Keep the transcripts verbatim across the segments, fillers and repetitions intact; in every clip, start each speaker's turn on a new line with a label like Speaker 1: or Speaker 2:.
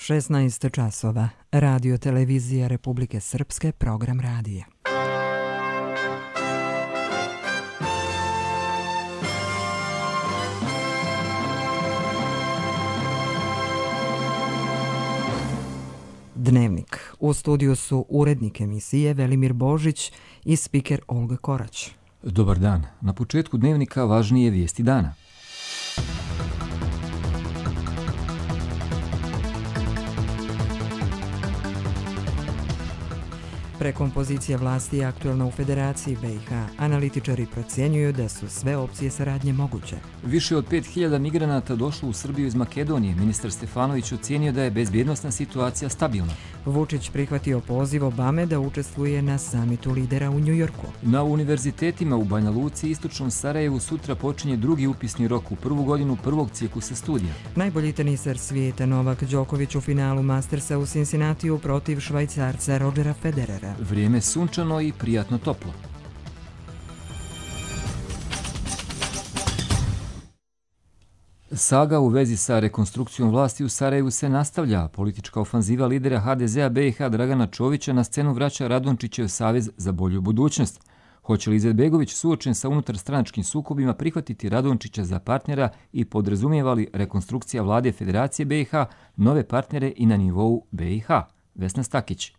Speaker 1: šesnaest časova. Radio Televizija Republike Srpske, program radija. Dnevnik. U studiju su urednik emisije Velimir Božić i spiker Olga Korać.
Speaker 2: Dobar dan. Na početku dnevnika važnije vijesti dana.
Speaker 1: Prekompozicija vlasti je aktuelna u Federaciji B i H. Analitičari procjenjuju da su sve opcije saradnje moguće.
Speaker 2: Više od pet hiljada migranata došlo u Srbiju iz Makedonije. Ministar Stefanović ocjenio da je bezbjednosna situacija stabilna.
Speaker 1: Vučić prihvatio poziv Obame da učestvuje na samitu lidera u Njujorku.
Speaker 2: Na univerzitetima u Banja Luci i istočnom Sarajevu sutra počinje drugi upisni rok u prvu godinu prvog ciklusa studija.
Speaker 1: Najbolji teniser svijeta Novak Đoković u finalu Mastersa u Cincinnatiju protiv Švajcarca Rodgera Federera.
Speaker 2: Vrijeme sunčano i prijatno toplo. Saga u vezi sa rekonstrukcijom vlasti u Sarajevu se nastavlja. Politička ofanziva lidera H D Z-a B i H Dragana Čovića na scenu vraća Radončićev savez za bolju budućnost. Hoće li Izetbegović, suočen sa unutarstranačkim sukobima, prihvatiti Radončića za partnera i podrazumijeva li rekonstrukcija vlade Federacije B i H nove partnere i na nivou B i H? Vesna Stakić.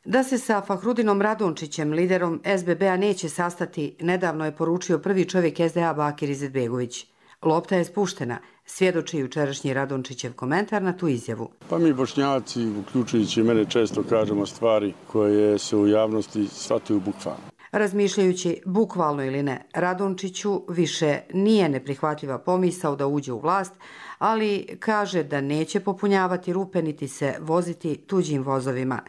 Speaker 3: Da se sa Fahrudinom Radončićem, liderom S B B-a, neće sastati, nedavno je poručio prvi čovjek S D A Bakir Izetbegović. Lopta je spuštena, svjedoči jučerašnji Radončićev komentar na tu izjavu.
Speaker 4: Pa mi Bošnjaci, uključujući mene, često kažemo stvari koje se u javnosti shvataju bukvalno.
Speaker 3: Razmišljajući bukvalno ili ne, Radončiću više nije neprihvatljiva pomisao da uđe u vlast, ali kaže da neće popunjavati rupe niti se voziti tuđim vozovima.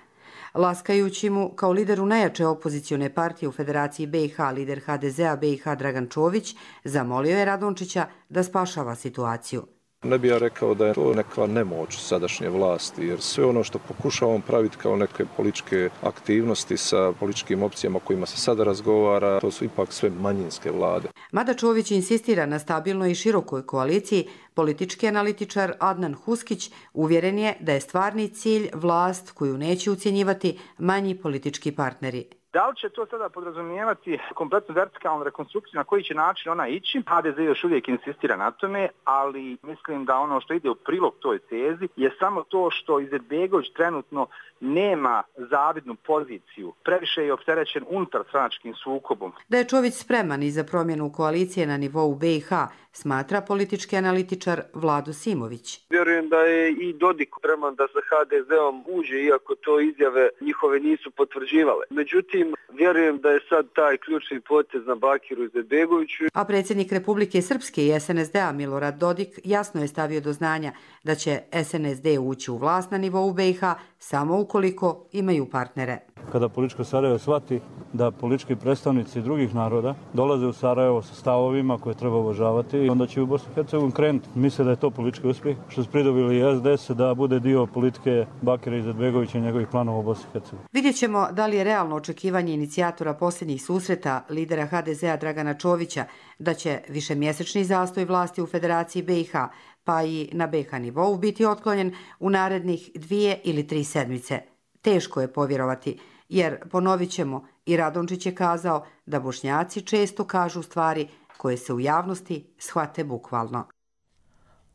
Speaker 3: Laskajući mu kao lideru najjače opozicione partije u Federaciji B i H, lider H D Z-a B i H Dragan Čović zamolio je Radončića da spašava situaciju.
Speaker 5: Ne bih ja rekao da je to neka nemoć sadašnje vlasti, jer sve ono što pokušavamo praviti kao neke političke aktivnosti sa političkim opcijama o kojima se sada razgovara, to su ipak sve manjinske vlade.
Speaker 3: Mada Čović insistira na stabilnoj i širokoj koaliciji, politički analitičar Adnan Huskić uvjeren je da je stvarni cilj vlast koju neće ucjenjivati manji politički partneri.
Speaker 6: Da li će to sada podrazumijevati kompletnu vertikalnu rekonstrukciju, na koji će način ona ići? H D Z još uvijek insistira na tome, ali mislim da ono što ide u prilog toj tezi je samo to što Izetbegović trenutno nema zavidnu poziciju. Previše je opterećen unutar stranačkim sukobom.
Speaker 3: Da je Čović spreman i za promjenu koalicije na nivou B i H, smatra politički analitičar Vlado Simović.
Speaker 7: Vjerujem da je i Dodik spreman da sa H D Z-om uđe, iako to izjave njihove nisu potvrđivale. Međutim, vjerujem da je sad taj ključni potez na Bakiru Izetbegoviću.
Speaker 3: A predsjednik Republike Srpske i S N S D-a Milorad Dodik jasno je stavio do znanja da će S N S D ući u vlast na nivou B i H samo ukoliko imaju partnere.
Speaker 8: Kada političko Sarajevo shvati da politički predstavnici drugih naroda dolaze u Sarajevo sa stavovima koje treba uvažavati, onda će u Bosni i Hercegovini krenuti. Misle da je to politički uspjeh, što su pridobili S D S da bude dio politike Bakira Izetbegovića i njegovih planova u Bosni i Hercegovini.
Speaker 3: Vidjet ćemo da li je realno očekivanje inicijatora posljednjih susreta lidera H D Z-a Dragana Čovića da će višemjesečni zastoj vlasti u Federaciji B i H pa i na B i H nivou biti otklonjen u narednih dvije ili tri sedmice. Teško je povjerovati, jer, ponovit ćemo, i Radončić je kazao da Bošnjaci često kažu stvari koje se u javnosti shvate bukvalno.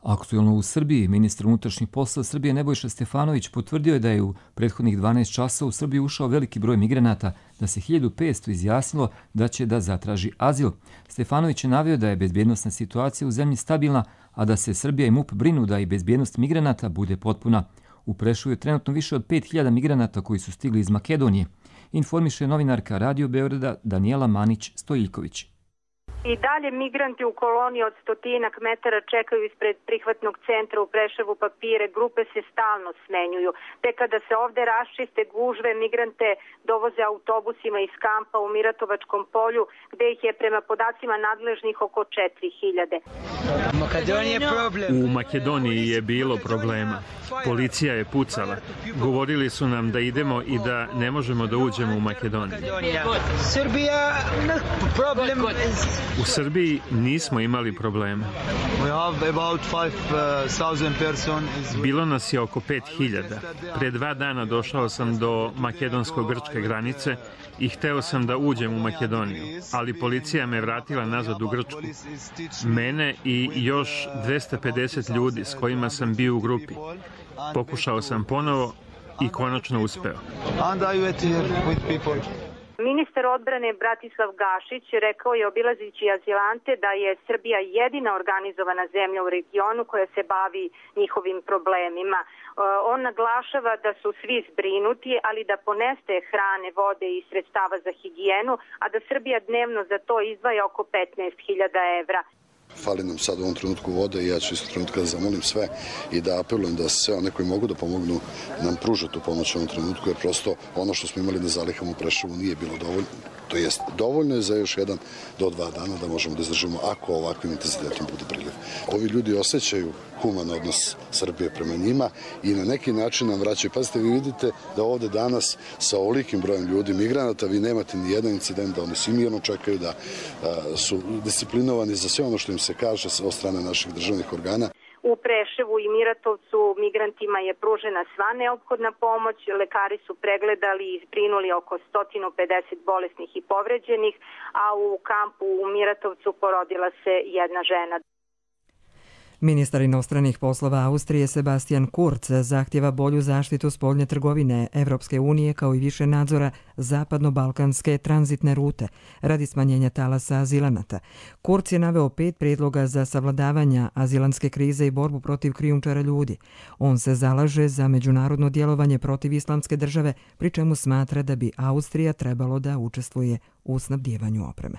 Speaker 2: Aktuelno u Srbiji, ministar unutrašnjih poslova Srbije Nebojša Stefanović potvrdio je da je u prethodnih dvanaest časa u Srbiju ušao veliki broj migranata, da se hiljadu petsto izjasnilo da će da zatraži azil. Stefanović je naveo da je bezbjednosna situacija u zemlji stabilna, a da se Srbija i MUP brinu da i bezbjednost migranata bude potpuna. U Preševu je trenutno više od pet hiljada migranata koji su stigli iz Makedonije, informiše novinarka Radio Beograda Danijela Manić-Stojiljković.
Speaker 9: I dalje migranti u koloni od stotinak metara čekaju ispred prihvatnog centra u Preševu papire, grupe se stalno smenjuju. Te kada se ovde raščiste gužve, migrante dovoze autobusima iz kampa u Miratovačkom polju, gde ih je prema podacima nadležnih oko četiri hiljade.
Speaker 10: U Makedoniji je bilo problema. Policija je pucala. Govorili su nam da idemo i da ne možemo da uđemo u Makedoniju.
Speaker 11: Srbija problem
Speaker 10: U Srbiji nismo imali problema. Bilo nas je oko pet hiljada. Pre dva dana došao sam do makedonsko-grčke granice i hteo sam da uđem u Makedoniju, ali policija me vratila nazad u Grčku. Mene i još dvesta pedeset ljudi s kojima sam bio u grupi. Pokušao sam ponovo i konačno uspeo.
Speaker 9: Ministar odbrane Bratislav Gašić rekao je obilazići azilante da je Srbija jedina organizovana zemlja u regionu koja se bavi njihovim problemima. On naglašava da su svi zbrinuti, ali da ponestaje hrane, vode i sredstava za higijenu, a da Srbija dnevno za to izdvaja oko petnaest hiljada evra.
Speaker 11: Fali nam sad u ovom trenutku vode i ja ću isto trenutka da zamolim sve i da apelujem da sve one koji mogu da pomognu nam pruže tu pomoć u ovom trenutku, jer prosto ono što smo imali na zalihama u Preševu nije bilo dovoljno. To jest, dovoljno je za još jedan do dva dana da možemo da izdržimo ako ovakvim intenzitetom bude priliv. Ovi ljudi osjećaju human odnos Srbije prema njima i na neki način nam vraćaju. Pazite, vi vidite da ovde danas sa ovolikim brojem ljudi, migranata, vi nemate ni jedan incident, da oni svi mirno čekaju, da a, su disciplinovani za sve ono što im se kaže od strane naših državnih organa.
Speaker 9: U Preševu i Miratovcu migrantima je pružena sva neophodna pomoć, lekari su pregledali i zbrinuli oko sto pedeset bolesnih i povređenih, a u kampu u Miratovcu porodila se jedna žena.
Speaker 1: Ministar inostranih poslova Austrije Sebastian Kurz zahtjeva bolju zaštitu spoljne trgovine Evropske unije kao i više nadzora zapadno-balkanske tranzitne rute radi smanjenja talasa azilanata. Kurz je naveo pet prijedloga za savladavanja azilanske krize i borbu protiv krijumčara ljudi. On se zalaže za međunarodno djelovanje protiv islamske države, pri čemu smatra da bi Austrija trebalo da učestvuje u snabdijevanju opreme.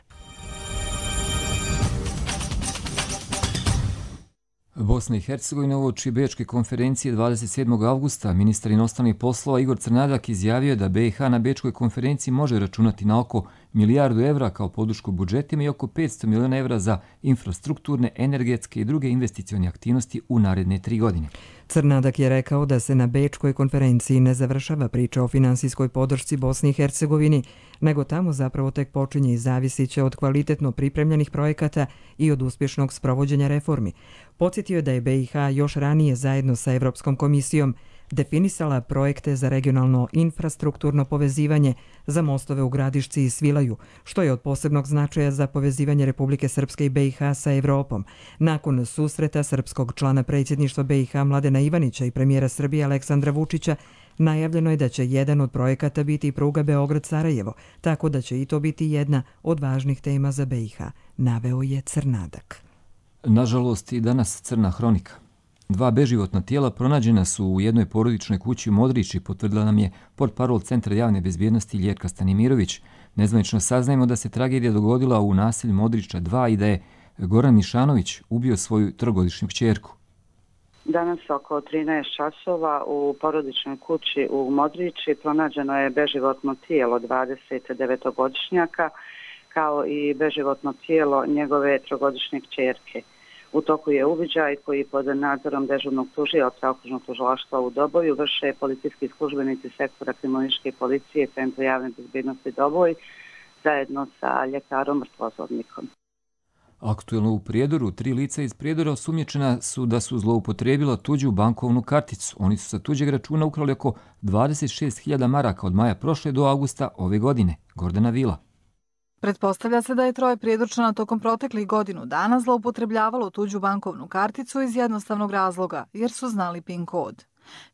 Speaker 2: Bosna i Hercegovina uoči Bečke konferencije dvadeset sedmog avgusta ministar inostranih poslova Igor Crnadak izjavio je da B i H na Bečkoj konferenciji može računati na oko milijardu evra kao podršku budžetima i oko petsto miliona evra za infrastrukturne, energetske i druge investicione aktivnosti u naredne tri godine.
Speaker 1: Crnadak je rekao da se na Bečkoj konferenciji ne završava priča o finansijskoj podršci Bosni i Hercegovini, nego tamo zapravo tek počinje i zavisit će od kvalitetno pripremljenih projekata i od uspješnog sprovođenja reformi. Podsjetio je da je B i H još ranije zajedno sa Evropskom komisijom definisala projekte za regionalno infrastrukturno povezivanje za mostove u Gradišci i Svilaju, što je od posebnog značaja za povezivanje Republike Srpske i B i H sa Evropom. Nakon susreta srpskog člana predsjedništva B i H Mladena Ivanića i premijera Srbije Aleksandra Vučića, najavljeno je da će jedan od projekata biti pruga Beograd-Sarajevo, tako da će i to biti jedna od važnih tema za B i H, naveo je Crnadak.
Speaker 2: Nažalost, i danas crna hronika. Dva beživotna tijela pronađena su u jednoj porodičnoj kući u Modriči, potvrdila nam je portparol Centra javne bezbjednosti Ljerka Stanimirović. Nezvanično saznajemo da se tragedija dogodila u naselju Modriča dva i da je Goran Mišanović ubio svoju trogodišnju kćerku.
Speaker 12: Danas oko trinaest časova u porodičnoj kući u Modriči pronađeno je beživotno tijelo dvadesetdevetogodišnjaka kao i beživotno tijelo njegove trogodišnje kćerke. U toku je uviđaj koji pod nadzorom dežurnog tužioca okružnog tužilaštva u Doboju vrše policijski službenici sektora kriminalističke policije Centra javne bezbjednosti Doboj zajedno sa ljekarom mrtvozornikom.
Speaker 2: Aktuelno u Prijedoru, tri lica iz Prijedora osumnjičena su da su zloupotrijebila tuđu bankovnu karticu. Oni su sa tuđeg računa ukrali oko dvadeset šest hiljada maraka od maja prošle do avgusta ove godine. Gordana Vila.
Speaker 13: Pretpostavlja se da je troje Prijedorčana tokom proteklih godinu dana zloupotrebljavalo tuđu bankovnu karticu iz jednostavnog razloga, jer su znali pin kod.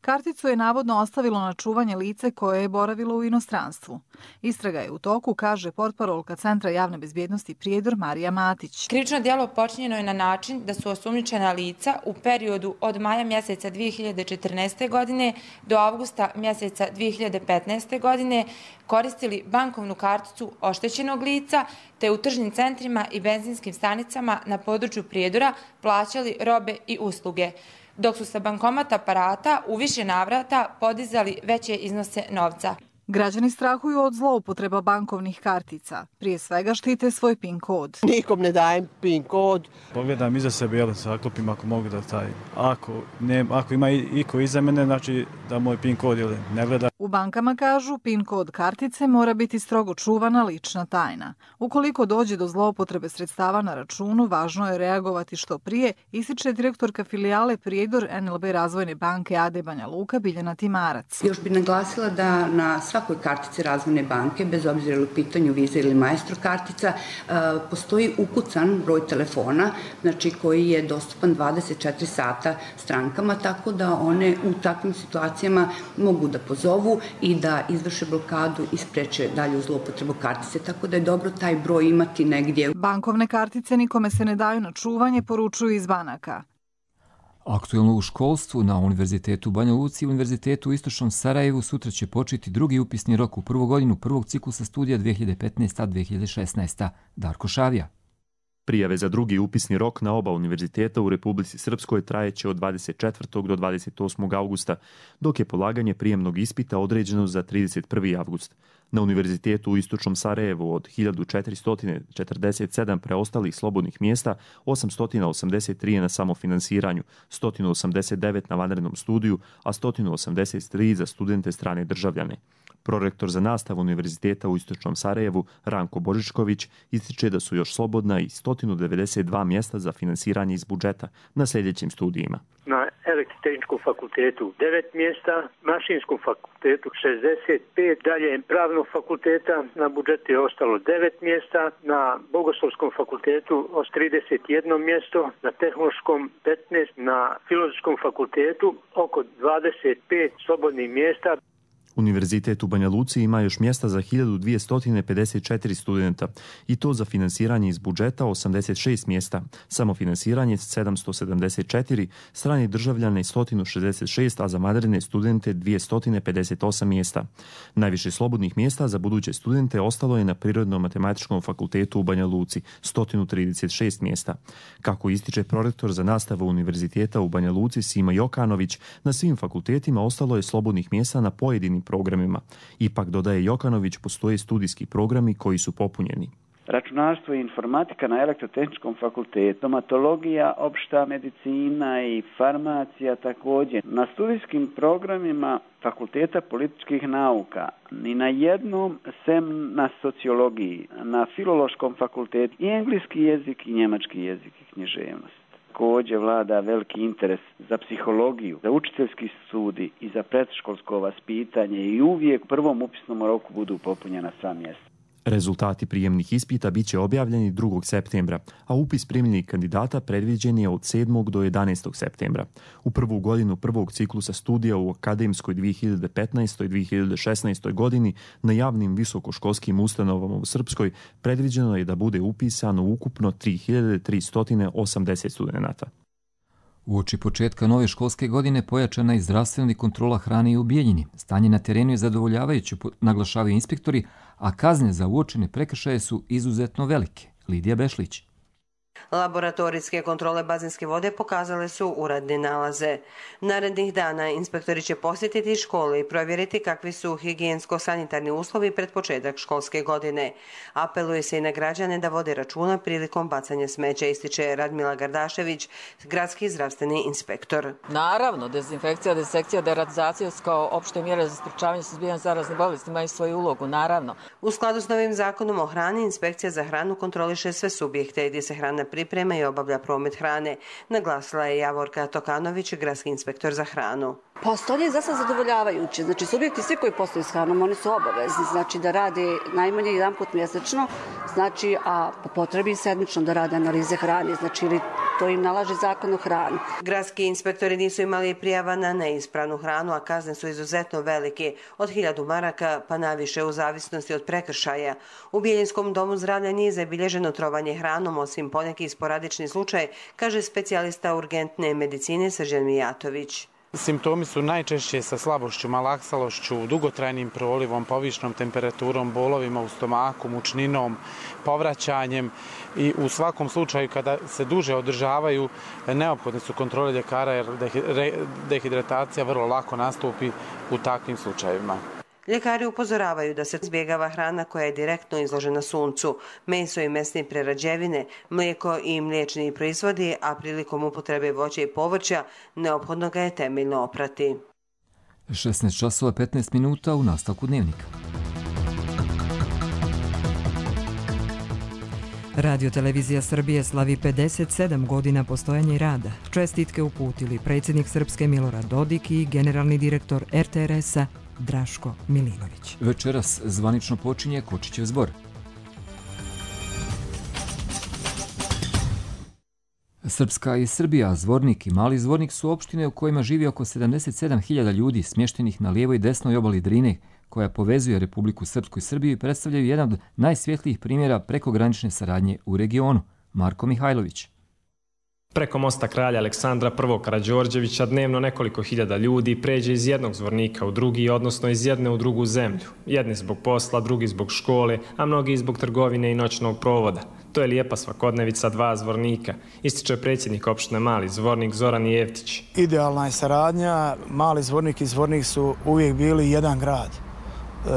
Speaker 13: Karticu je navodno ostavilo na čuvanje lice koje je boravilo u inostranstvu. Istraga je u toku, kaže portparolka Centra javne bezbjednosti Prijedor Marija Matić.
Speaker 14: Krivično djelo počinjeno je na način da su osumnjičena lica u periodu od maja mjeseca dvije hiljade četrnaeste. godine do avgusta mjeseca dvije hiljade petnaeste. godine koristili bankovnu karticu oštećenog lica te u tržnim centrima i benzinskim stanicama na području Prijedora plaćali robe i usluge, dok su sa bankomat aparata u više navrata podizali veće iznose novca.
Speaker 13: Građani strahuju od zloupotreba bankovnih kartica. Prije svega štite svoj PIN kod.
Speaker 15: Nikom ne dajem PIN kod.
Speaker 8: Pogledam iza sebe, jel, saklopim ako mogu da taj. Ako, ne, ako ima iko iza mene, znači da moj PIN kod jel, ne gleda.
Speaker 13: U bankama kažu PIN kod kartice mora biti strogo čuvana lična tajna. Ukoliko dođe do zloupotrebe sredstava na računu, važno je reagovati što prije, ističe direktorka filijale Prijedor N L B Razvojne banke A D Banja Luka Biljana Timarac.
Speaker 16: Još bih naglasila da na svakoj kartici Razvojne banke, bez obzira u pitanju Visa ili Maestro kartica, postoji ukucan broj telefona, znači koji je dostupan dvadeset četiri sata strankama, tako da one u takvim situacijama mogu da pozovu i da izvrše blokadu i spreče dalju zloupotrebu kartice, tako da je dobro taj broj imati negdje.
Speaker 13: Bankovne kartice nikome se ne daju na čuvanje, poručuju iz banaka.
Speaker 2: Aktuelno u školstvu na Univerzitetu u Banja Luci i Univerzitetu u Istočnom Sarajevu sutra će početi drugi upisni rok u prvu godinu prvog ciklusa studija dve hiljade petnaesta dve hiljade šesnaesta. Darko Šavija.
Speaker 17: Prijave za drugi upisni rok na oba univerziteta u Republici Srpskoj trajeće od dvadeset četvrtog do dvadeset osmog avgusta, dok je polaganje prijemnog ispita određeno za trideset prvi avgust. Na Univerzitetu u Istočnom Sarajevu od hiljadu četiristo četrdeset sedam preostalih slobodnih mjesta, osamsto osamdeset tri je na samofinansiranju, sto osamdeset devet na vanrednom studiju, a sto osamdeset tri za studente strane državljane. Prorektor za nastavu Univerziteta u Istočnom Sarajevu, Ranko Božičković, ističe da su još slobodna i sto devedeset dva mjesta za finansiranje iz budžeta na sljedećim studijima.
Speaker 18: Na Elektrotehničkom fakultetu devet mjesta, Mašinskom fakultetu šezdeset pet, dalje Pravnog fakulteta na budžetu je ostalo devet mjesta, na Bogoslovskom fakultetu trideset jedno mjesto, na Tehnološkom petnaest, na Filozofskom fakultetu oko dvadeset pet slobodnih mjesta.
Speaker 17: Univerzitet u Banja Luci ima još mjesta za hiljadu dvjesto pedeset četiri studenta i to za finansiranje iz budžeta osamdeset šest mjesta, samofinansiranje sedamsto sedamdeset četiri, strani državljane sto šezdeset šest, a za vanredne studente dvjesto pedeset osam mjesta. Najviše slobodnih mjesta za buduće studente ostalo je na Prirodno-matematičkom fakultetu u Banja Luci, sto trideset šest mjesta. Kako ističe prorektor za nastavu Univerziteta u Banja Luci Sima Jokanović, na svim fakultetima ostalo je slobodnih mjesta na pojedinim programima. Ipak, dodaje Jokanović, postoje studijski programi koji su popunjeni.
Speaker 19: Računarstvo i informatika na Elektrotehničkom fakultetu, stomatologija, opšta medicina i farmacija također. Na studijskim programima Fakulteta političkih nauka ni na jednom, sem na sociologiji, na Filološkom fakultetu i engleski jezik i njemački jezik i književnost. Također vlada veliki interes za psihologiju, za učiteljski studij i za predškolsko vaspitanje i uvijek u prvom upisnom roku budu popunjena sva mjesta.
Speaker 17: Rezultati prijemnih ispita bit će objavljeni drugog septembra, a upis primljenih kandidata predviđen je od sedmog do jedanaestog septembra. U prvu godinu prvog ciklusa studija u akademskoj dvije hiljade petnaestoj dvije hiljade šesnaestoj godini na javnim visokoškolskim ustanovama u Srpskoj predviđeno je da bude upisano ukupno tri hiljade tristo osamdeset studenata.
Speaker 2: Uoči početka nove školske godine pojačana je zdravstvena kontrola hrane i u Bijeljini. Stanje na terenu je zadovoljavajuće, naglašavaju inspektori, a kazne za uočene prekršaje su izuzetno velike. Lidija Bešlić.
Speaker 20: Laboratorijske kontrole bazenske vode pokazale su uradne nalaze. Narednih dana inspektori će posjetiti škole i provjeriti kakvi su higijensko-sanitarni uslovi pred početak školske godine. Apeluje se i na građane da vode računa prilikom bacanja smeća, ističe Radmila Gardašević, gradski zdravstveni inspektor.
Speaker 21: Naravno, dezinfekcija, desekcija, deratizacija kao opšte mjere za sprečavanje suzbijanja zaraznih bolesti imaju svoju ulogu, naravno.
Speaker 20: U skladu s novim zakonom o hrani, inspekcija za hranu kontroliše sve subjekte gdje se hrana priprema i obavlja promet hrane, naglasila je Javorka Tokanović, gradski inspektor za hranu.
Speaker 22: Postolje je za sad zadovoljavajuće. Znači, subjekti svi koji posluju s hranom, oni su obavezni, znači da rade najmanje jedan put mjesečno, znači, a po potrebi sedmično da rade analize hrane, znači, ili to im nalaže zakon o hrani.
Speaker 20: Gradski inspektori nisu imali prijava na neispravnu hranu, a kazne su izuzetno velike, od hiljadu maraka pa naviše u zavisnosti od prekršaja. U Bijeljinskom domu zdravlja nije zabilježeno trovanje hranom, osim poneki sporadični slučaj, kaže specijalista urgentne medicine Srđan Mijatović.
Speaker 23: Simptomi su najčešće sa slabošću, malaksalošću, dugotrajnim prolivom, povišnom temperaturom, bolovima u stomaku, mučninom, povraćanjem i u svakom slučaju kada se duže održavaju neophodne su kontrole ljekara jer dehidratacija vrlo lako nastupi u takvim slučajevima.
Speaker 20: Ljekari upozoravaju da se izbjegava hrana koja je direktno izložena suncu, meso i mesne prerađevine, mlijeko i mliječni proizvodi, a prilikom upotrebe voća i povrća neophodno ga je temeljno oprati.
Speaker 2: šesnaest časova petnaest minuta u nastavku dnevnika.
Speaker 1: Radio Televizija Srbije slavi pedeset sedam godina postojanja i rada. Čestitke uputili predsjednik Srpske Milorad Dodik i generalni direktor er te er es-a Draško Milinović.
Speaker 2: Večeras zvanično počinje Kočićev zbor. Srpska i Srbija, Zvornik i Mali Zvornik su opštine u kojima živi oko sedamdeset sedam hiljada ljudi smještenih na lijevoj i desnoj obali Drine, koja povezuje Republiku Srpsku i Srbiju i predstavljaju jedan od najsvjetlijih primjera prekogranične saradnje u regionu. Marko Mihajlović.
Speaker 4: Preko mosta kralja Aleksandra prvog Karađorđevića dnevno nekoliko hiljada ljudi pređe iz jednog zvornika u drugi, odnosno iz jedne u drugu zemlju. Jedni zbog posla, drugi zbog škole, a mnogi zbog trgovine i noćnog provoda. To je lijepa svakodnevica dva zvornika, ističe predsjednik opštine Mali Zvornik Zoran Jevtić.
Speaker 5: Idealna je saradnja, Mali Zvornik i Zvornik su uvijek bili jedan grad. E,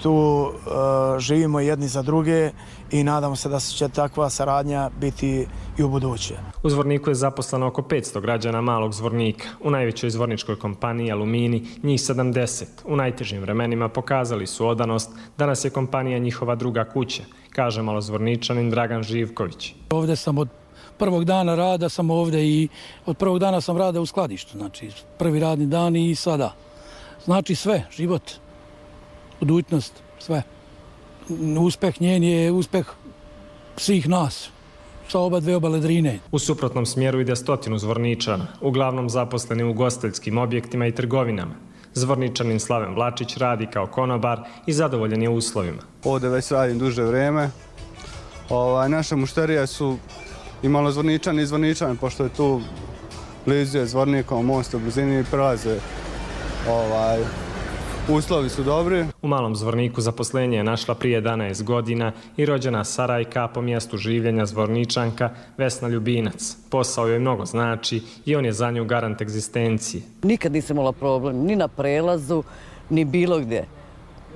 Speaker 5: tu e, živimo jedni za druge i nadamo se da će takva saradnja biti i u buduće.
Speaker 4: U Zvorniku je zaposleno oko petsto građana Malog Zvornika. U najvećoj zvorničkoj kompaniji Alumini njih sedamdeset. U najtežim vremenima pokazali su odanost. Danas je kompanija njihova druga kuća, kaže malozvorničanin Dragan Živković.
Speaker 6: Ovdje sam od prvog dana rada, sam ovdje i od prvog dana sam rada u skladištu. Znači prvi radni dan i sada. Znači sve, život, budućnost, sve. Uspeh njen je uspeh svih nas, sa oba dve obale Drine.
Speaker 4: U suprotnom smjeru ide stotinu zvorničana, uglavnom zaposleni u ugostiteljskim objektima i trgovinama. Zvorničanin Slaven Vlačić radi kao konobar i zadovoljen je uslovima.
Speaker 24: Ovdje već radim duže vreme. Ovaj, naše mušterije su i malozvorničani i zvorničani, pošto je tu blizu je Zvornikom, most u blizini i prelaze. Ovaj, uslovi su dobri.
Speaker 4: U Malom Zvorniku zaposlenje je našla prije jedanaest godina i rođena Sarajka, po mjestu življenja Zvorničanka Vesna Ljubinac. Posao joj mnogo znači i on je za nju garant egzistencije.
Speaker 25: Nikad nisam imala problem ni na prelazu, ni bilo gdje.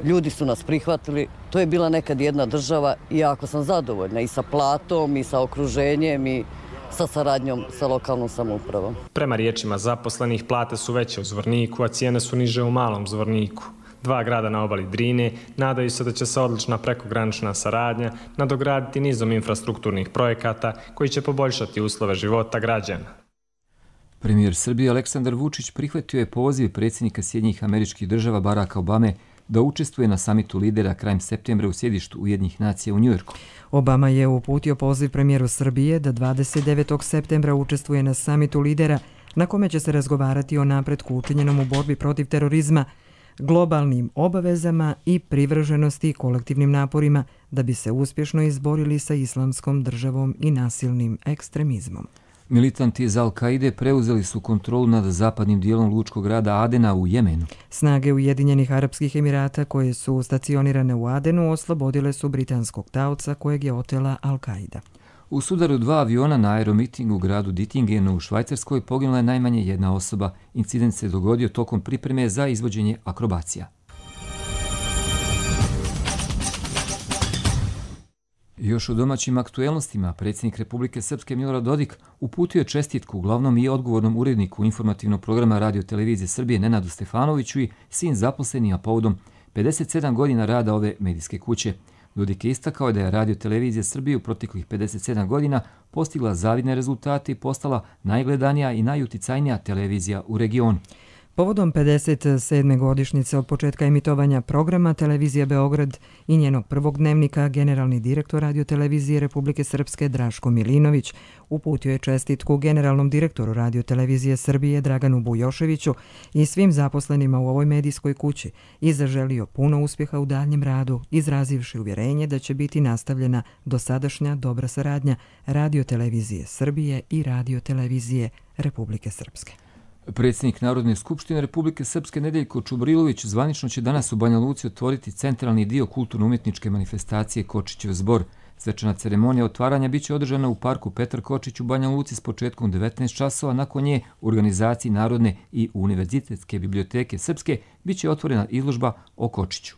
Speaker 25: Ljudi su nas prihvatili, to je bila nekad jedna država i jako sam zadovoljna i sa platom i sa okruženjem i sa saradnjom sa lokalnom samoupravom.
Speaker 4: Prema riječima zaposlenih, plate su veće u Zvorniku, a cijene su niže u Malom Zvorniku. Dva grada na obali Drine nadaju se da će se odlična prekogranična saradnja nadograditi nizom infrastrukturnih projekata koji će poboljšati uslove života građana.
Speaker 2: Premijer Srbije Aleksandar Vučić prihvatio je poziv predsjednika Sjedinjenih Američkih Država Baracka Obame da učestvuje na samitu lidera krajem septembra u sjedištu Ujedinjenih nacija u Njujorku.
Speaker 1: Obama je uputio poziv premijeru Srbije da dvadeset devetog septembra učestvuje na samitu lidera na kome će se razgovarati o napretku učinjenom u borbi protiv terorizma, globalnim obavezama i privrženosti kolektivnim naporima da bi se uspješno izborili sa islamskom državom i nasilnim ekstremizmom.
Speaker 2: Militanti iz Al-Kaide preuzeli su kontrolu nad zapadnim dijelom lučkog grada Adena u Jemenu.
Speaker 1: Snage Ujedinjenih Arapskih Emirata koje su stacionirane u Adenu oslobodile su britanskog taoca kojeg je otela Al-Kaida.
Speaker 2: U sudaru dva aviona na aeromitingu u gradu Dittingenu u Švajcarskoj poginula je najmanje jedna osoba. Incident se dogodio tokom pripreme za izvođenje akrobacija. Još u domaćim aktuelnostima, predsjednik Republike Srpske Milorad Dodik uputio je čestitku glavnom i odgovornom uredniku informativnog programa Radio Televizije Srbije Nenadu Stefanoviću i sin zaposlenima povodom pedeset sedam godina rada ove medijske kuće. Dodik je istakao da je Radio Televizija Srbije u proteklih pedeset sedam godina postigla zavidne rezultate i postala najgledanija i najuticajnija televizija u regionu.
Speaker 1: Povodom pedeset sedme godišnjice od početka emitovanja programa Televizija Beograd i njenog prvog dnevnika, generalni direktor Radio Televizije Republike Srpske Draško Milinović uputio je čestitku generalnom direktoru Radio Televizije Srbije Draganu Bujoševiću i svim zaposlenima u ovoj medijskoj kući i zaželio puno uspjeha u daljem radu, izrazivši uvjerenje da će biti nastavljena dosadašnja dobra saradnja Radio Televizije Srbije i Radio Televizije Republike Srpske.
Speaker 2: Predsjednik Narodne skupštine Republike Srpske Nedeljko Čubrilović zvanično će danas u Banja Luci otvoriti centralni dio kulturno-umjetničke manifestacije Kočićev zbor. Svečana ceremonija otvaranja biće održana u parku Petar Kočić u Banja Luci s početkom devetnaest časova. Nakon nje u organizaciji Narodne i Univerzitetske biblioteke Srpske biće otvorena izložba o Kočiću.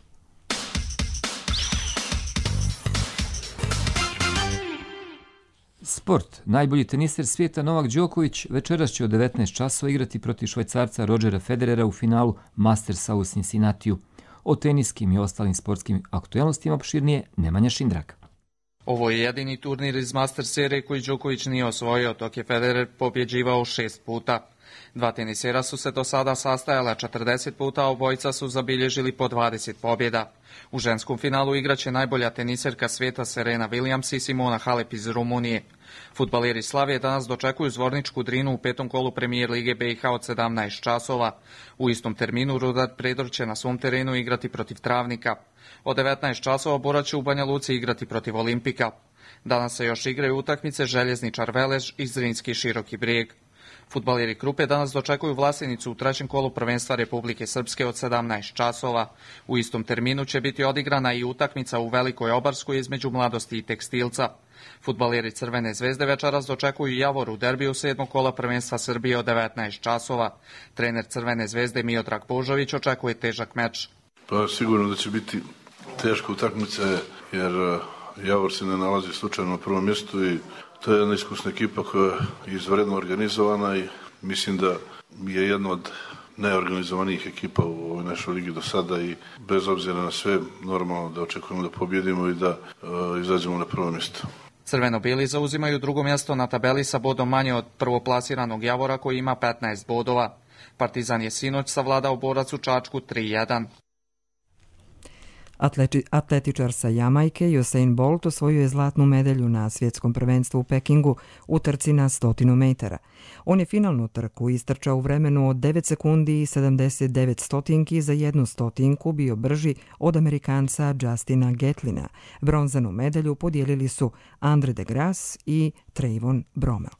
Speaker 2: Sport. Najbolji teniser svijeta Novak Đoković večeras će od devetnaest časova igrati protiv Švajcarca Rodgera Federera u finalu Mastersa u Cincinnatiju. O teniskim i ostalim sportskim aktuelnostima opširnije Nemanja Šindrak.
Speaker 3: Ovo je jedini turnir iz Master serije koji Đoković nije osvojio, dok je Federer pobjeđivao šest puta. Dva tenisera su se do sada sastajala četrdeset puta, a obojica su zabilježili po dvadeset pobjeda. U ženskom finalu igraće najbolja teniserka svijeta Serena Williams i Simona Halep iz Rumunije. Fudbaleri Slavije danas dočekuju Zvorničku Drinu u petom kolu premijer Lige B i H od sedamnaest časova. U istom terminu Rudar Predor će na svom terenu igrati protiv Travnika. Od devetnaest časova Bora će u Banja Luci igrati protiv Olimpika. Danas se još igraju utakmice Željezničar Velež i Zrinski Široki Brijeg. Fudbaleri Krupe danas dočekuju Vlasenicu u trećem kolu prvenstva Republike Srpske od sedamnaest časova. U istom terminu će biti odigrana i utakmica u Velikoj Obarskoj između Mladosti i Tekstilca. Fudbaleri Crvene zvezde večeras dočekuju Javor u derbiju sedmog kola prvenstva Srbije od devetnaest časova. Trener Crvene zvezde Miodrag Božović očekuje težak meč.
Speaker 7: Pa sigurno da će biti teška utakmica jer Javor se ne nalazi slučajno na prvom mjestu i to je jedna iskusna ekipa koja je izvredno organizovana i mislim da je jedna od najorganizovanijih ekipa u ovoj našoj ligi do sada i bez obzira na sve normalno da očekujemo da pobjedimo i da uh, izađemo na prvo mjesto.
Speaker 3: Crveno-bili zauzimaju drugo mjesto na tabeli sa bodom manje od prvoplasiranog Javora koji ima petnaest bodova. Partizan je sinoć savladao Borac u Čačku tri jedan.
Speaker 1: Atleti, atletičar sa Jamajke Usain Bolt osvojio je zlatnu medalju na svjetskom prvenstvu u Pekingu u trci na stotinu metara. On je finalnu trku istrčao u vremenu od devet sekundi i sedamdeset devet stotinki, za jednu stotinku bio brži od Amerikanca Justina Gatlina. Bronzanu medalju podijelili su Andre de Grasse i Trayvon Bromell.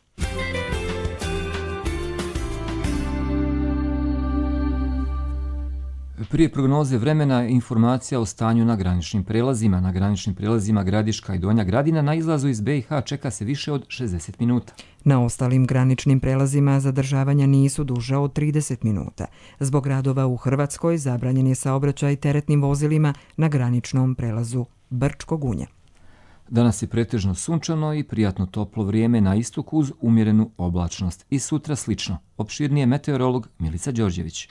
Speaker 2: Prije prognoze vremena informacija o stanju na graničnim prelazima. Na graničnim prelazima Gradiška i Donja Gradina na izlazu iz B i H čeka se više od šezdeset minuta.
Speaker 1: Na ostalim graničnim prelazima zadržavanja nisu duža od trideset minuta. Zbog radova u Hrvatskoj zabranjen je saobraćaj teretnim vozilima na graničnom prelazu Brčko Gunja.
Speaker 2: Danas je pretežno sunčano i prijatno toplo vrijeme na istoku uz umjerenu oblačnost. I sutra slično. Opširnije meteorolog Milica Đorđević.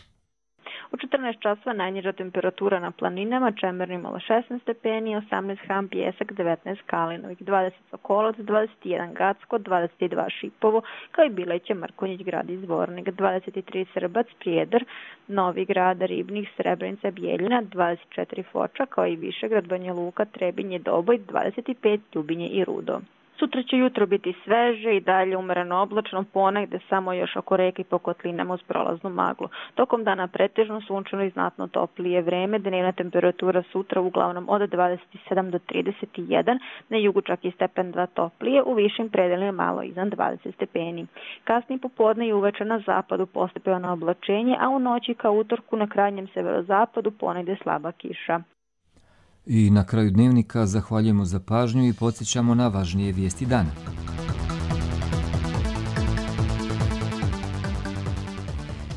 Speaker 9: U četrnaest časova najniža temperatura na planinama, Čemerni imala šesnaest stepeni, osamnaest Ham, Pijesak, devetnaest Kalinovik, dvadeset Sokolac, dvadeset jedan Gacko, dvadeset dva Šipovo, kao i Bileće, Mrkonjić, Grad i Zvornik, dvadeset tri Srbac, Prijedar, Novi Grad, Ribnik, Srebrenica, Bijeljina, dvadeset četiri Foča, kao i Višegrad, Banja Luka, Trebinje, Doboj, dvadeset pet Ljubinje i Rudo. Sutra će jutro biti sveže i dalje umereno oblačno, ponegde samo još oko reke i po kotlinama uz prolaznu maglu. Tokom dana pretežno sunčano i znatno toplije vreme, dnevna temperatura sutra uglavnom od dvadeset sedam do trideset jedan, na jugu čak i stepen dva toplije, u višim predelima malo iznad dvadeset stepeni. Kasnije popodne i uveče na zapadu postepeno oblačenje, a u noći ka utorku na krajnjem severozapadu ponegde slaba kiša.
Speaker 2: I na kraju dnevnika zahvaljujemo za pažnju i podsjećamo na važnije vijesti dana.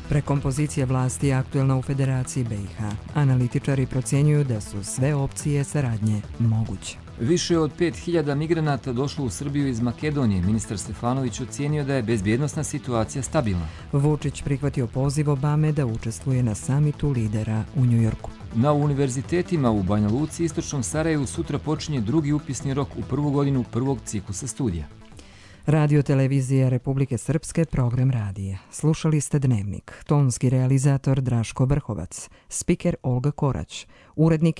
Speaker 1: Prekompozicija vlasti je aktuelna u Federaciji B i H. Analitičari procjenjuju da su sve opcije saradnje moguće.
Speaker 2: Više od pet hiljada migranata došlo u Srbiju iz Makedonije. Ministar Stefanović ocijenio da je bezbjednosna situacija stabilna.
Speaker 1: Vučić prihvatio poziv Obame da učestvuje na samitu lidera u Njujorku.
Speaker 2: Na univerzitetima u Banja Luci i Istočnom Sarajevu sutra počinje drugi upisni rok u prvu godinu prvog ciklusa studija.
Speaker 1: Radio televizija Republike Srpske, program radija. Slušali ste Dnevnik. Tonski realizator Draško Brhovac. Spiker Olga Korać. Urednik